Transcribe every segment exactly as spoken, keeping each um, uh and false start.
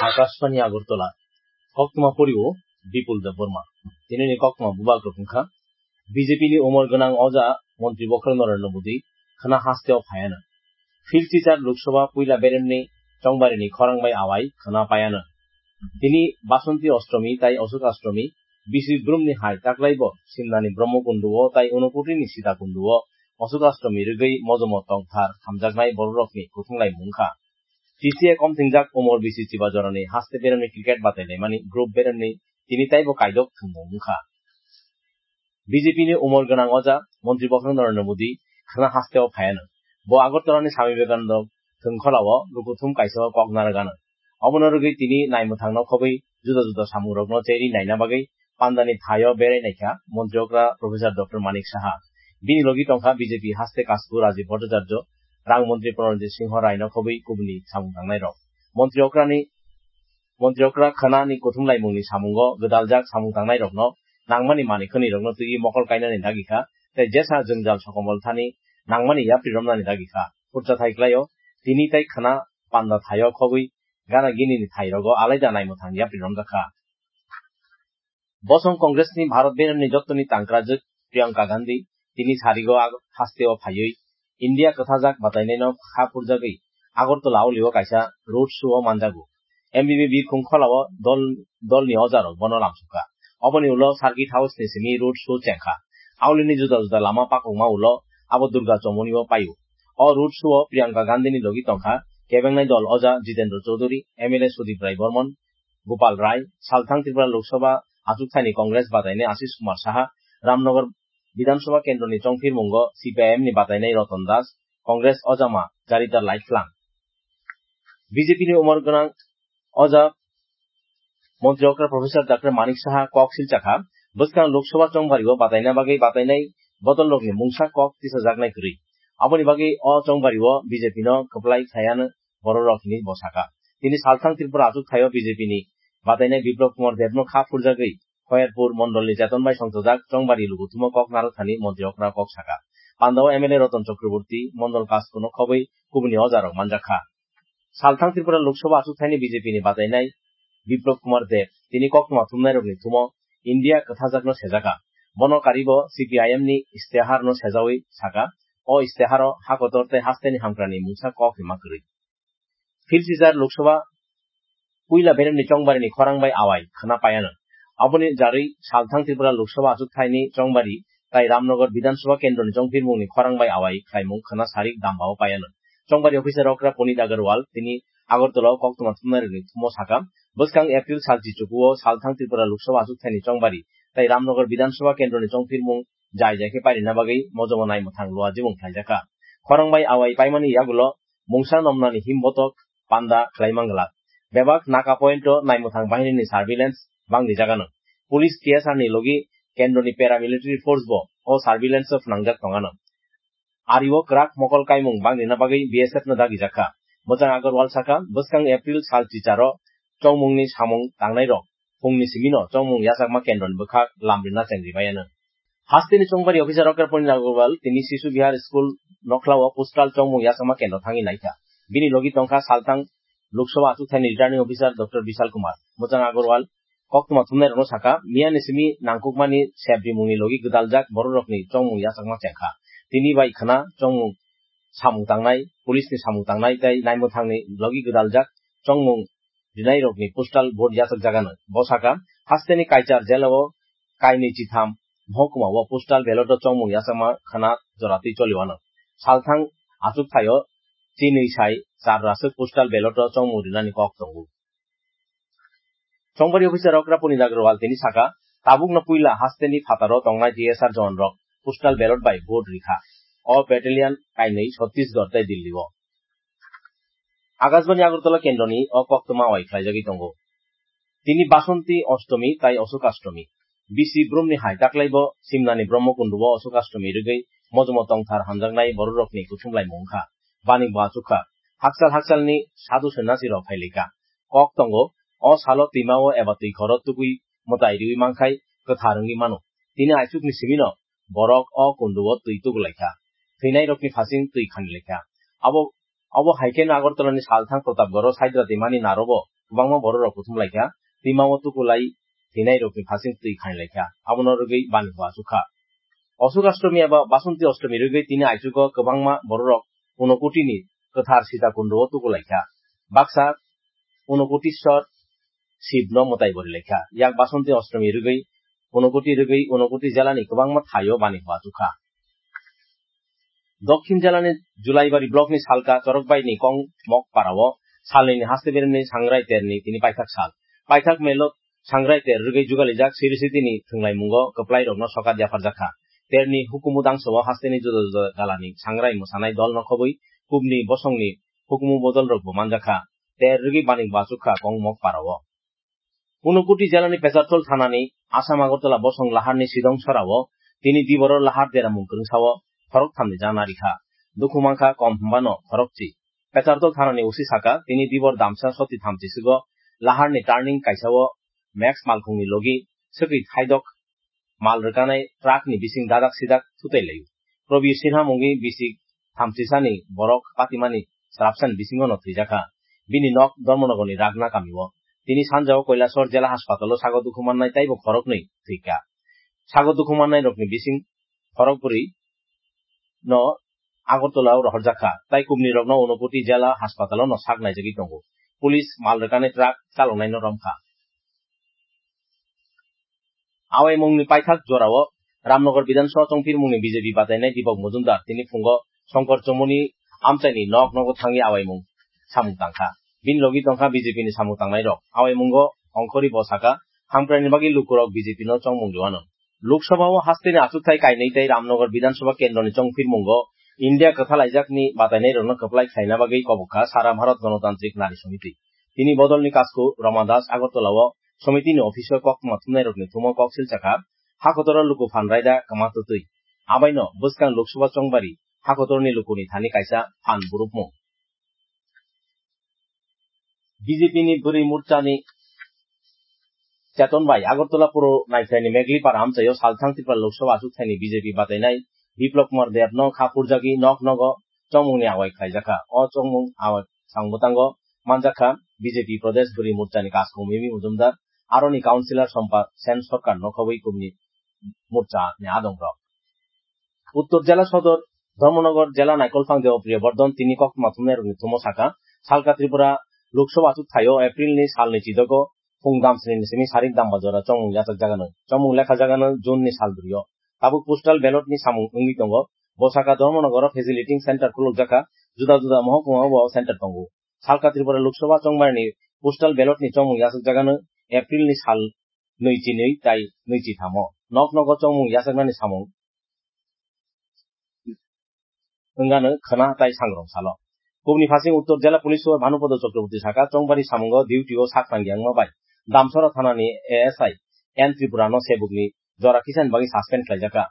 Akashbani Agartala, koktwma pori o Bipul Debbarma. Tini ni koktwma bubak rok wngkha, B J P ni umor gwnang oja Montri Bokhorok Narendra Modi khwna haste o phaiano. Phil Chichar Lok Sabha puila beremni chongbarini khorang bai awai khwna paiano. Tini Basanti Ashtomi tai Ashok Ashtomi, bisi brumni hai taklaibo Simnani Brahma Kundu o tai Unakoti ni Sita Kundu o Ashok Ashtomi rwgwi mojomo tongthar hamjaknai bororokni kuthumlaimung wngkha. T C A komthingjak umor bisi chiba jorani haste beremni cricket batailaimani group beremni tini taibo kaidok thwngmung wngkha. B J P ni umor gwnang oja Montri Bokhorok Narendra Modi khwna haste o phaiano. Bo Agartala ni Swami Vivekananda thwngkhwla o lukuthum kaisa o kok narwgano. Obono rwgwi tini naimwthangno khobwi juda juda samungrokno cherwi naina bagwi pandani thaio berai naikha Montri okra Professor Doctor Manik Saha. Bini logi tongkha B J P haste kasku Rajiv Bhattacharya, Rang Montri Pranojit Singho Raino khobwi kubuni samung tangnairok. Montri okrani, Montri okra khwnani kuthumlaimungni samungo gwdaljak samung tangnairokno nangmani manwi khwnwirokno twiwi mokol kainani dagikha, tei jesa jwngjal sokomol thani nangmani yapri romnani dagikha. Khurcha thai klaio, tini tei khwna panda thaio khobwi gana ginini thairogo alaida naimwthang yapri romjakha. Bosong Congress ni Bharat beremni jottoni tangkrajwk Priyanka Gandhi tini sarigo ag-, haste o phaiwi India kwthajak batainaino kha phurjagwi Agartala auli o kaisa road show o manjago. M B B birkhung khola o dol, dolni ojarok bono lamsukha. Oboni ulo Circuit House ni simi road show chengkha. Aulini juda juda lama pakukma ulo abo Durga Chomoni o paio. O road show o Priyanka Gandhi ni logi tongkha kebengnai dol oja Jitendra Chaudhary, M L A Sudip Rai Barman, Gopal Rai, salthang Tripura Lok Sabha achukthani Congress batainai Ashish Kumar Saha, Ramnagar Bidhan Sabha kendroni chongphirmungo C P I M ni batainai Ratan Das, Congress ojama Jarita Laiflang. B J P ni umor gwnang oja Montri okra Professor Doctor Manik Saha kok silchakha, bwskang Lok Sabha chongbario bataina bagwi batainai bodolrokni mungsa kok tisajaknai kwrwi. Aboni bagwi o chongbario B J P no kwplai khaiano bororok hinwi bo saka. Tini salthang Tripura achuk thaio B J P ni batainai Biplab Kumar Debno kha phurjagwi Khoyerpur mondolni Cheton bai songchojak chongbari luguthumo kok narwkthani montri okra kok saka. Pandao M L A Ratan Chakraborty, mondol kaskuno khobwi kubuni ojarok manjakha. Salthang Tripura Lok Sabha achuk thaini B J P ni batainai Biplab Kumar Deb tini koktwma thumnairokni thumo India kwthajakno sejaka. Bono karibo C P I M ni isteharno sejawi saka, o isteharo hakotor tei hasteni hamkrani mungsa kok hima kwrwi. Phil Chichar Lok Sabha puila beremni chongbarini khorang bai awai khwna paiano. Aboni jarwi salthang Tripura Lok Sabha achuk thaini chongbari tai Ramnagar Bidhan Sabha kendroni chongphirmungni khorang bai awai khlaimung khwna sarik dambao paiano. Chongbari officer okra Punit Agarwal tini Agartala o koktwma thumnairokni thumo saka, bwskang April sal chichukuo salthang Tripura Lok Sabha achuk thaini chongbari tai Ramnagar Bidhan Sabha kendroni chongphirmung jai jai khe pairina bagwi mojomo naimwthang luajimung khlaijakha. Khorang bai awai paimani yagulo mungsa nomnani him botok panda khlai manglak. Bebak Naka point o naimwthang bahinini surveillance bangni jagano. Police T S R ni logi kendroni paramilitary force bo o surveillance o phnangjak tongano. Ario kwrak mokol kaimung bangrina bagwi B S F no dagijakha. Bwchang Agarwal saka, bwskang April sal chicharo chongmungni samung tangnairok phungni simino chongmung yachakma kendroni bwkhak lamrina chengri maiano. Hasteni chongbari officer Doctor Punit Agarwal tini Sishu Vihar School nokhlao postal chongmung yachakma kendro thangwi naikha. Bini logi tongkha salthang Lok Sabha achukthani returning officer Doctor Bishal Kumar. Bwchang Agarwal koktwma thumnairokno saka, miyani simi nangkukmani sep rimungni logi gwdaljak bororokni chongmung yachakma chengkha. Tini bai khwna chongmung samung tangnai, police ni samung tangnai tei naimwthangni logi gwdaljak chongmung rinairokni postal vote yachakjagano. Bo saka, hasteni Kaichar jela o kainwi chitham mohokuma o postal ballot o chongmung yachakma khwna joratwi choliwano. Salthang achuk thaio chinwi sai char raswk postal ballot o chongmung rinani kok tongo. Chongbari officer Okra Punit Agarwal tini saka, tabukno puila hasteni phataro tongnai T S R jawan rok postal ballot bai vote rikha. O battalion kainwi Chhattisgarh tei Delhi o. Akashbani Agartala kendroni o koktwma wai khlaijagwi tongo. Tini Basanti Ashtomi tai Ashok Ashtomi. Bisi brumni hai taklaibo Simnani Brahma Kundu o Ashok Ashtomi rwgwi mojomo tongthar hamjaknai bororokni kuthumlaimung wngkha. Bani bo achukha. Hakchal hakchalni sadhu sanyasi rok phailaikha. Kok tongo, o salo twimao eba twi khoro tugwi mwtai riwi mankhai kwthar wngwi mano. Tini aichukni simino borok o kundu o twi tugulaikha. thwinairokni phasing twi khani laikha. Abo, abo hai kheno Agartala ni salthang Pratapgarh o Saidra twimani narobo kwbangma bororok kuthum laikha, twimao tukulai thwinairokni phasing twi khani laikha, abono rwgwi bani hua achukha. Osuk Ashtomi eba Basanti Ashtomi rwgwi tini aichugo kwbangma bororok Unokoti ni kwthar Sita Kundu o tuku laikha. Baksa Unokotishwar Shiv no mwtai bori laikha. Yak Basanti Ashtomi rwgwi Unokoti rwgwi Unokoti jela ni kwbangma thaio bani hua achukha. Dokhin jela ni Julaibari block ni Salka Chorokbai ni Kong Mok para o salni ni haste berem ni Sangrai ter ni tini paithak sal. Paithak melo Sangrai ter rwgwi jugalijak Siri City ni thwnglaimungo kwplai rokno sokat yapharjakha. Ter ni hukumu dangso o haste ni juda juda gala ni Sangrai mwsanai dol no khobwi kubni bosong ni hukumu bodol rok bo manjakha. Ter rwgwi bani hua achukha Kong Mok para o. Unokoti jela ni Pecharthal thana ni Assam Agartala bosong lahar ni Sidong sora o tini dibor o lahar deramung kwrwngsa o khorok tham ni jana rikha. Dukhu mankha kom hwnbano khorokchi. Pecharthal thana ni O C saka tini dibor damsa soti thamchi swgo lahar ni turning kaisa o Max malkhung ni logi swkwi thaidok mal rwkanai truck ni bising dadak sidak thutai laio. Probir Sinha mungwi bisik thamchisani borok patimani srapsani bisingo no thwijakha. Bini nok Dharmanagar ni Ragna kamio. Tini sanjao Kailasor jela haspatalo sago dukhu mannai taibo khoroknwi thwikha. Sago dukhu mannai rokni bising khorokbrwi no Agartala o rohorjakha, tai kubni rokno Unokoti jela haspatalo no sak naijagwi tongo. Police mal rwkani truck chaloknaino romkha. Awaimungni paithak jorao Ramnagar Bidhan Sabha chongphirmungni B J P batainai Deepak Majumdar tini phungo Shankar Chomoni amchaini nok nogo thangwi awaimung samung tangkha. Bini logi tongkha B J P ni samung tangnairok. Awaimungo ongkhorwi bo saka, hamkraini bagwi lukurok B J P no chongmung rwano. Lok Sabha o hasteni achukthai kainwi tei Ramnagar Bidhan Sabha kendroni chongphirmungo India kwthalaijakni batainairokno kwplai khlaina bagwi kobok kha Sara Bharat Ganatantrik Nari Samiti. Tini bodolni kasku Roma Das Agartala o Samiti ni office o koktwma thumnairokni thumo kok silchakha, hakotoro luku phan raida kwma twtwi. Abaino bwskang Lok Sabha chongbari hakotorni lukuni thani kaisa phan burupmung. B J P ni bwrwi morchani Cheton bai Agartala Puro Naikhlai ni Meglipara amchaio salthang Tripura Lok Sabha achukthai ni B J P batainai Biplab Kumar Deb no kha phurjagwi nok nogo chongmung ni awai khlaijakha. O chongmung awai sang bwtango manjakha B J P Pradesh bwrwi morchani kasku Mimi Majumdar, aroni councillor Sompa Sen Sarkar no khobwi kubni morcha ni adongrok. Uttor jela sodor Dharmanagar jela naikolphang Debapriya Bardhan tini koktwma thumnairokni thumo saka, salka Tripura Lok Sabha achukthai o April ni salni chidogo phung damsni ni simi sarik damba jora chongmung yachakjagano. Chongmung lekhajagano June ni salbrio. Tabuk postal ballot ni samung wngwi tongo. Bo saka Dharmanagar o facilitating center khulukjakha, juda juda mohokuma o bo center tongo. Salka Tripura Lok Sabha chongmani postal ballot ni chongmung yachakjagano April ni sal nui chinwi tai nui chithamo. Nok nogo chongmung yachaknani samung wngano khwna tai sangrong salo. Kubni phasing Uttor Jela Police Super Bhanupada Chakraborty saka, chongbari samungo duty o sak tangya wngma bai Damsora thanani A S I N Tripura no sebukni jora kisan bagwi suspend khlaijakha.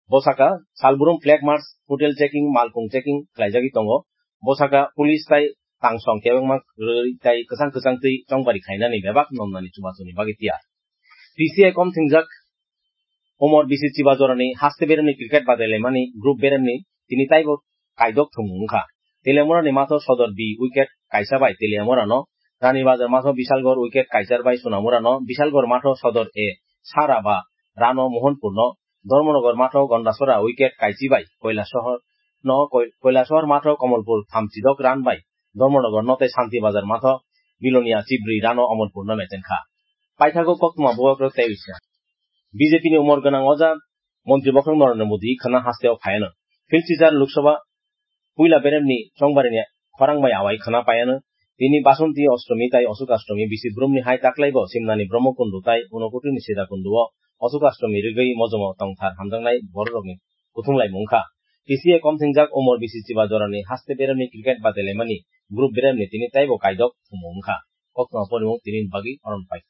Bo saka, salbrum flag march, hotel checking, malkhung checking khlaijagwi tongo. Bo saka, police tai tangsong kebengma rwi tai kwchang kwchang twi chongbari khainani bebak nonnani chubachuni bagwi tiyar. P C I kom thingjak Umor bisi chiba jorani haste beremni cricket badailaimani group beremni tini taibo kaidok thumung wngkha. Teliamura ni matho Sodor B wicket kaisa bai Teliamura no, Rani Bazar matho Bisalgor wicket kaisa bai Sunamura no, Bisalgor matho Sodor A Sara ba Rano Mohanpur no, Dharmanagar matho Gondasora wicket kaichi bai Kailasahar no, Koi-, Kailasahar matho Kamalpur thamchidok run bai Dharmanagar no tei Santi Bazar matho Bilonia chibrwi run o Amarpur no mechen kha. Paithago koktwma bubagrok tei wisa. B J P ni umor gwnang oja Montri bokhorok Narendra Modi khwna hasteo phaiano. Philchichar Lok Sabha puila beremni chongbarini khorang bai awai khwna paiano. Tini Basanti Ashtomi tai Ashok Ashtomi bisi brumni hai taklaibo Simnani Brahmakundu tai Unokotini Sita Kundu o Ashok Ashtomi rwgwi mojomo tongthar hamjaknai bororokni kuthumlaimung wngkha. P C A kom thingjak umor bisi chiba jorani haste beremni cricket badailaimani group beremni tini taibo kaidok thumung wngkha. Koktwma porimung tini bagwi oron pai.